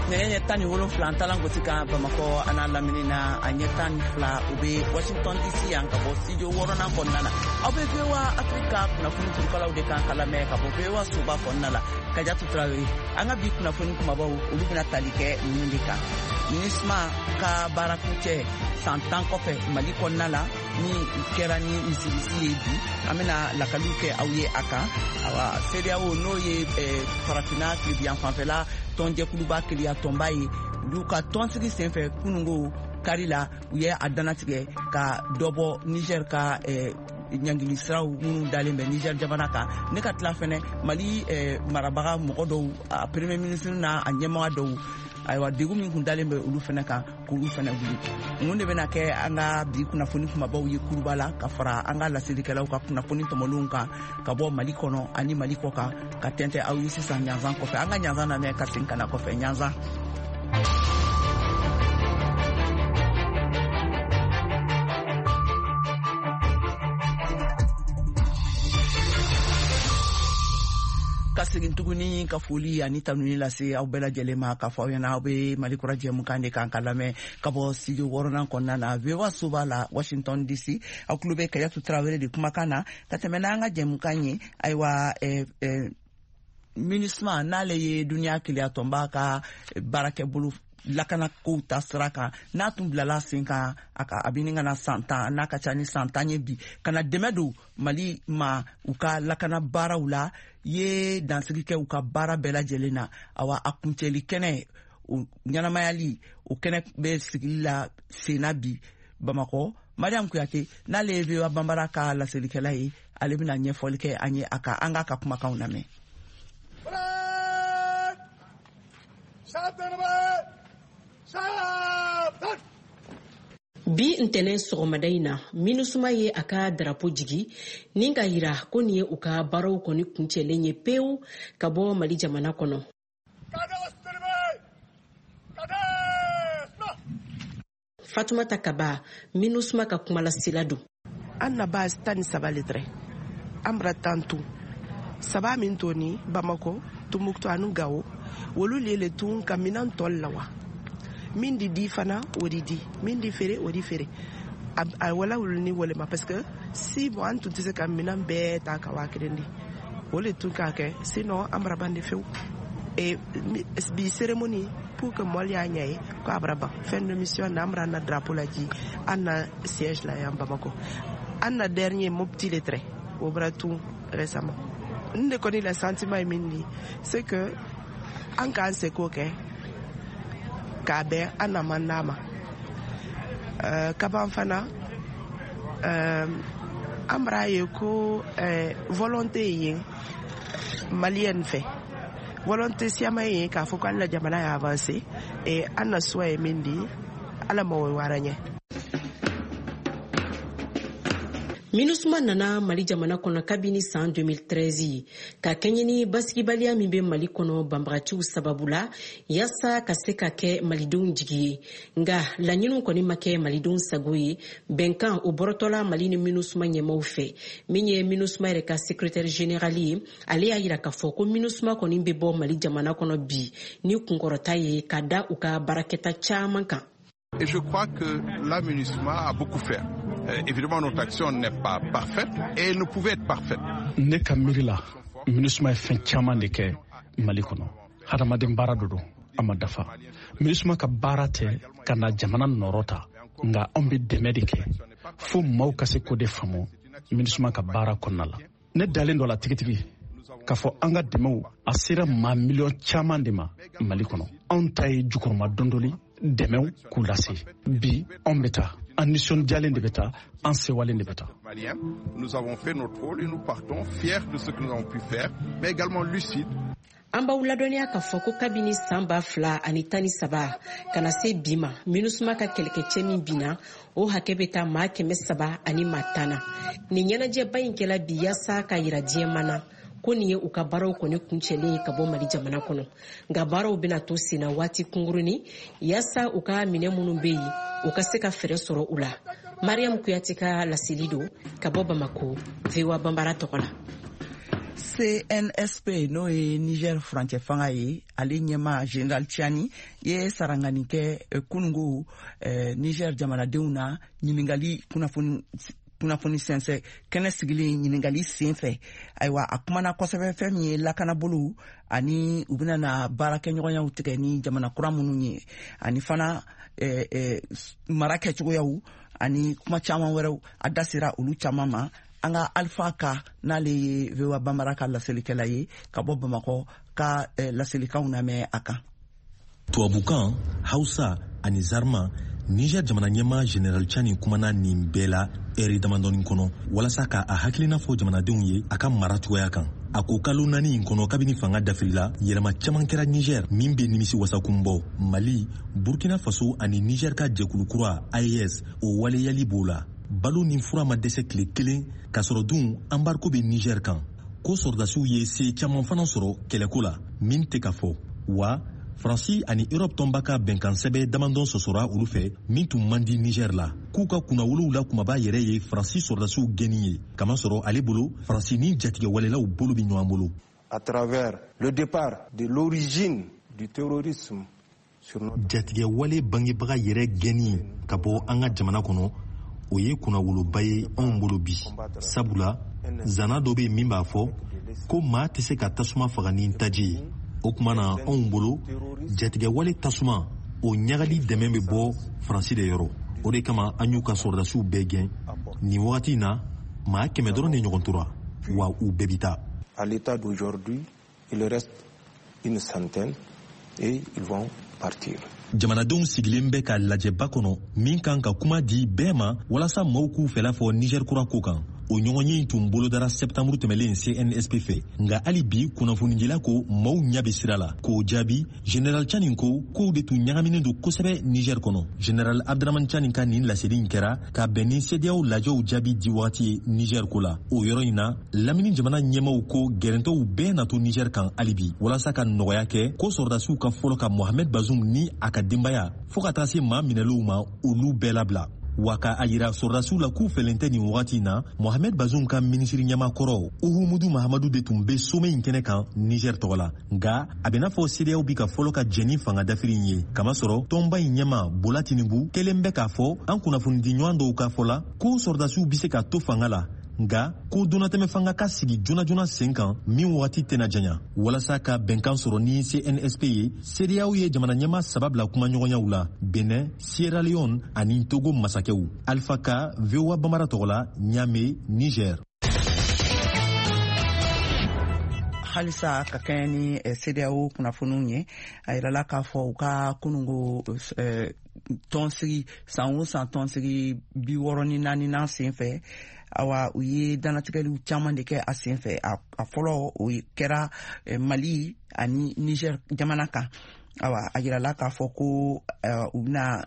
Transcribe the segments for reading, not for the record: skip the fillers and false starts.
Nɛgɛ ɲɛ 17 an talan gosi kan Bamakɔ a n'a lamini na, a ɲɛ 12 u bɛ Washington DC yan ka bɔ studio wɔɔrɔnan kɔnɔna na. Aw bɛ VOA Afrique kunnafoni turukalaw de kan ka lamɛn ka bɔ VOA soba kɔnɔna la. Kajatu Tarawele, an ka bi kunnafoni kumabaw olu bɛna tali kɛ ninnu de kan. MINUSMA ka baara kuncɛ san 10 kɔfɛ Mali kɔnɔna la ni kɛra ni misirisi ye bi, an bɛna lakaliw kɛ aw ye a kan. Awa, CEDEAO n'o ye farafinna tilebiyan fanfɛla tɔnjɛkuluba keleya tɔnba ye, olu ka tɔnsigi senfɛ kunungo kari la, u ye a dannatigɛ ka dɔ bɔ Niger ka ɲangili siraw minnu dalen bɛ Niger jamana kan. Ne ka tila fɛnɛ Mali marabaga mɔgɔ dɔw, a premier ministre n'a a ɲɛmaga dɔw, ayiwa degun min kun dalen bɛ olu fɛnɛ kan k'olu fɛnɛ wuli. Mun de bɛna kɛ an ka bi kunnafoni kumabaw ye kuruba la ka fara an ka laselikɛlaw ka kunnafoni tɔmɔlenw kan ka bɔ Mali kɔnɔ ani Mali kɔ kan ka tɛntɛ aw ye sisan ɲanzan kɔfɛ. An ka ɲanzan lamɛn ka segin ka na kɔfɛ. Ɲanzan. Ka segin tuguni ka foli ani tanuni lase aw bɛɛ lajɛlen ma k'a fɔ aw ɲɛna aw bɛ Mali kura jɛmukan de kan ka lamɛn ka bɔ studio wɔɔrɔnan kɔnɔna na VOA soba la Washington DC. Aw tulo bɛ Kajatu Tarawele de kumakan na ka tɛmɛ n'an ka jɛmukan ye. Ayiwa, MINUSMA n'ale ye duniya keleya tɔnba ka baarakɛbolo lakanakow ta sira kan, n'a tun bilala sen kan a ka a bɛ ɲini ka na san 10 n'a ka ca ni san 10 ye bi, ka na dɛmɛ don Mali ma u ka lakana baaraw la, ye dansigi kɛ u ka baara bɛɛ lajɛlen na. Awa, a kuncɛli kɛnɛ o ɲɛnamayali o kɛnɛ bɛ sigili la senna bi Bamakɔ. Mariam Kuyate n'ale ye VOA Banbara ka laselikɛla ye, ale bɛna ɲɛfɔli kɛ an ye a kan. An k'a ka kumakanw lamɛn. Bi ntɛnɛn sɔgɔmada in na, MINUSMA ye a ka darapo jigi ni ka yira ko nin ye u ka baaraw kɔni kuncɛlen ye pewu ka bɔ Mali jamana kɔnɔ. Fatumata Kaba, MINUSMA ka kumalasela don. An na base 13 le tɛrɛ, an bara tan tun saba min to ni Bamako, Tumbuktu ani Gawo, wolu le le tun ka minan tɔl la wa min di di fana o di di, min di feere o di feere. A wala wulu ni wale ma parce que si bon an tun tɛ se ka minan bɛɛ ta ka waa kelen di, o le tun k'a kɛ, sinon an bara ban de fewu. Et bi cérémonie pour que mɔli y'a ɲɛ ye ko a bara ban fin de mission na, an bara na drapeau laji an na siège la yan Bamako. An na dernier Mopti le tɛrɛ, o bara tun récemment. N de kɔni la sentiment ye min di, c'est que an k'an seko kɛ k'a bɛn an na man d'a ma. Kaban fana an bara ye ko volonté ye maliyɛn fɛ, volonté siyaman ye k'a fɔ ko an na jamana y'a avancé et an na choix ye min di, ala ma o wara ɲɛ. MINUSMA nana Mali jamana kɔnɔ kabini san 2013 ka kɛɲɛ ni basigibaliya min bɛ Mali kɔnɔ banbagaciw sababu la, yaasa ka se ka kɛ malidenw jigi ye. Nka laɲiniw kɔni ma kɛ malidenw sago ye. Bɛnkan o bɔrɔtɔla Mali ni MINUSMA ɲɛmaw fɛ. Min ye MINUSMA yɛrɛ ka secrétaire général ye, ale y'a yira k'a fɔ ko MINUSMA kɔni bɛ bɔ Mali jamana kɔnɔ bi ni kunkɔrɔta ye ka da u ka baarakɛta caman kan. Et je crois que la MINUSMA a beaucoup fait. Évidemment, notre action n'est pas parfaite et elle ne pouvait être parfaite. Ne ka miiri la, MINUSMA ye fɛn caman de kɛ Mali kɔnɔ. Hadamaden baara dɔ don, a ma dafa. MINUSMA ka baara tɛ ka na jamana nɔrɔ ta, nka anw bɛ dɛmɛ de kɛ fo maaw ka se k'o de faamu MINUSMA ka baara kɔnɔna la. Ne dalen dɔ la tigitigi k'a fɔ an ka dɛmɛw a sera maa miliyɔn caman de ma Mali kɔnɔ. Anw ta ye jukɔrɔma dondoli dɛmɛw k'u lase. Bi anw bɛ taa, an nisɔndiyalen de bɛ taa, an sewalen de bɛ taa. Nous avons fait notre rôle et nous partons fiers de ce que nous avons pu faire, mais également lucides. An b'aw ladɔnniya k'a fɔ ko kabini san 2013 ka na se bi ma, MINUSMA ka kɛlɛkɛcɛ min binna, o hakɛ bɛ taa maa 300 ani maa 10 na. Nin ɲɛnajɛba in kɛla bi yaasa ka yira diɲɛ na ko nin ye u ka baaraw kɔni kuncɛlen ye ka bɔ Mali jamana kɔnɔ. Nka baaraw bɛna to senna waati kunkurunin yaasa u ka minɛ minnu bɛ yen, u ka se ka fɛɛrɛ sɔrɔ u la. Mariam Kuyate ka laseli don ka bɔ Bamako, VOA Banbara tɔgɔ la. CNSP, n'o ye Niger furancɛ fanga ye, ale ɲɛma General Tiani ye sarangani kɛ kunungo Niger jamanadenw na ɲiningali kunnafoni sɛnsɛ kɛnɛ sigilen ɲiningali sen fɛ. Ayiwa, a kumana kosɛbɛ fɛn min ye lakanabolow ani u bɛna na baarakɛɲɔgɔnyaw tigɛ ni jamana kura minnu ye, ani fana mara kɛcogoyaw ani kuma caman wɛrɛw, a da sera olu caman ma. An ka Alpha Ka, n'ale ye VOA Bambara ka laselikɛla ye ka bɔ Bamakɔ, ka laselikanw lamɛn a kan. Tubabukan, Hausa ani Zarma, Niger jamana ɲɛma General Tiani kumana nin bɛɛ la ɛri damadɔni kɔnɔ walasa ka a hakilina fɔ jamanadenw ye a ka mara cogoya kan. A ko kalo 4 in kɔnɔ, kabini fanga dafirila, yɛlɛma caman kɛra Niger min bɛ nimisi wasakun bɔ. Mali, Burkina Faso ani Niger ka jɛkulu kura AES, o waleyali b'o la. Balo ni fura ma dɛsɛ tile kelen, k'a sɔrɔ dun embargo bɛ Niger kan. Ko sɔrɔdasiw ye se caman fana sɔrɔ kɛlɛko la min tɛ ka fɔ. Wa Faransi ani Europe tɔnba ka bɛnkansɛbɛ damadɔ sɔsɔra olu fɛ min tun man di Niger la. K'u ka kunnawolow la kumaba yɛrɛ ye Faransi sɔrɔdasiw gɛnni ye, kamasɔrɔ ale bolo Faransi ni jatigɛwalelaw bolo bɛ ɲɔgɔn bolo. À travers le départ de l'origine du terrorisme. Jatigɛwale bangebaga yɛrɛ gɛnni ka bɔ an ka jamana kɔnɔ, o ye kunnawoloba ye anw bolo bi, sabula zana dɔ bɛ min b'a fɔ ko maa tɛ se ka tasuma faga ni taji ye. O tuma na, anw bolo jatigɛwale tasuma o ɲagali dɛmɛ bɛ bɔ Faransi de yɔrɔ. O de kama an y'u ka sɔrɔdasiw bɛɛ gɛn. Nin wagati in na, maa 100 dɔrɔn de ɲɔgɔn tora, wa u bɛɛ bi taa. À l'état d'aujourd'hui, il reste une centaine et ils vont partir. Jamanadenw sigilen bɛ ka lajɛba kɔnɔ min kan ka kuma di bɛɛ ma walasa maaw k'u fɛla fɔ Niger kura ko kan. O ɲɔgɔnye in tun bolodara sɛptanburu tɛmɛlen CNSP fɛ, nka hali bi kunnafonidila ko maaw ɲɛ bɛ sira la k'o jaabi. General Tiani ko kow de tun ɲagaminen don kosɛbɛ Niger kɔnɔ. General Abdramane Tiani ka nin laseli in kɛra ka bɛn ni CEDEAO lajɛw jaabi di wagati ye Niger ko la. O yɔrɔ in na, lamini jamana ɲɛmaw ko gɛrɛntɛw bɛɛ na to Niger kan hali bi walasa ka nɔgɔya kɛ ko sɔrɔdasiw ka fɔlɔ ka Mohamed Bazoum ni a ka denbaya, fɔɔ ka taa se maa minɛlenw ma, olu bɛɛ labila, wa ka a yira sɔrɔdasiw la k'u fɛlen tɛ nin wagati in na. Mohamed Bazoum ka minisiri ɲɛma kɔrɔ Uhumudu Mahamadu de tun bɛ sommet in kɛnɛ kan Niger tɔgɔ la, nka a bɛ n'a fɔ CEDEAO bi ka fɔlɔ ka jɛn ni fanga dafiri in ye, kamasɔrɔ tɔnba in ɲɛma Bola Tinubu kɛlen bɛ k'a fɔ an kunnafonidi ɲɔgɔn dɔw ka fɔ la ko sɔrɔdasiw bɛ se ka to fanga la, nka ko donnatɛmɛ fanga ka sigi joona joona sen kan min wagati tɛna janya. Walasa ka bɛnkan sɔrɔ ni CNSP ye, CEDEAO ye jamana ɲɛma 3 bila kumaɲɔgɔnyaw la: Benin, Sierra Leone ani Togo masakɛw. Alpha Ka, VOA Bambara tɔgɔ la, Niamey, Niger. Halisa ka kɛɲɛ ni CEDEAO kunnafoniw ye, a yirala k'a fɔ u ka kunungo tɔnsigi, san o san tɔnsigi 64nan sen fɛ, awa, u ye dannatigɛliw caman de kɛ a sen fɛ. A fɔlɔ, o kɛra Mali ani Niger jamana kan. Awa, a yirala k'a fɔ ko u bɛna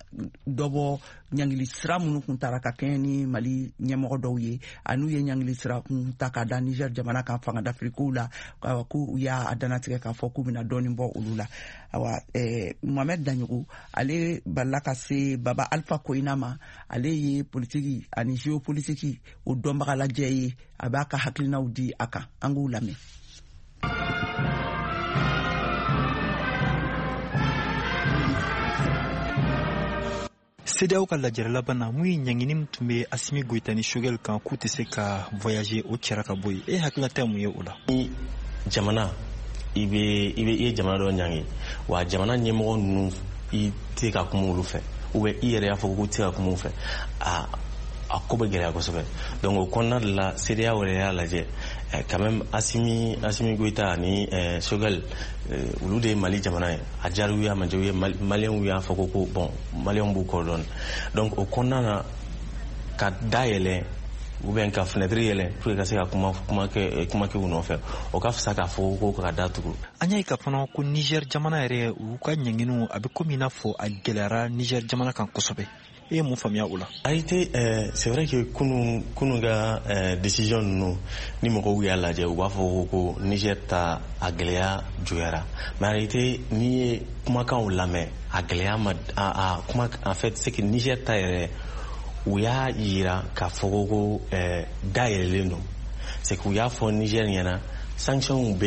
dɔ bɔ ɲangili sira minnu kun tara ka kɛɲɛ ni Mali ɲɛmɔgɔ dɔw ye, an'u ye ɲangili sira kun ta ka da Niger jamana kan fanga dafirikow la, ko u y'a dannatigɛ k'a fɔ k'u bɛna dɔɔnin bɔ olu la. Awa, Mohamed Daɲogo, ale balila ka se Baba Alpha Koyina ma. Ale ye politiki ani géopolitique o dɔnbaga lajɛ ye. A b'a ka hakilinaw di a kan, an k'u lamɛn. CEDEAO ka lajɛrɛ laban na, mun ye ɲangini min tun bɛ Asimi Goyita ni Choguel kan k'u tɛ se ka voyager, o cɛra ka bɔ yen. E hakilinata ye mun ye o la? Ni jamana i bɛ i bɛ i ye jamana dɔ ɲangi, wa jamana ɲɛmɔgɔ ninnu i tɛ ka kuma olu fɛ, ou bien i yɛrɛ y'a fɔ k'u tɛ ka kuma u fɛ, a ko bɛ gɛlɛya kosɛbɛ. Donc o kɔnɔna de la, CEDEAO yɛrɛ y'a lajɛ quand même Asimi Goyita ani Choguel, olu de ye Mali jamana ye. A diyara u ye, a ma diya u ye, Maliyɛnw y'a fɔ ko bon, Maliyɛnw b'u kɔ dɔɔni. Donc o kɔnɔna na, ka da yɛlɛ ou bien ka fenêtre yɛlɛ pour que ka se ka kuma kɛ u nɔfɛ, o ka fisa k'a fɔ ko ka da tugu. An y'a ye ka fana ko Niger jamana yɛrɛ, u ka ɲanginiw a bɛ komi i n'a fɔ a gɛlɛyara Niger jamana kan kosɛbɛ. E ye mun faamuya o la? A été c'est vrai que kunu ka décision ninnu, ni mɔgɔw y'a lajɛ, u b'a fɔ ko Niger ta a gɛlɛya juguyara, mais en réalité, n'i ye kumakanw lamɛn, a gɛlɛya ma a kuma. En fait, c'est que Niger ta yɛrɛ, u y'a yira k'a fɔ ko da yɛlɛlen don. C'est que u y'a fɔ Niger ɲɛna. Sanctions bɛ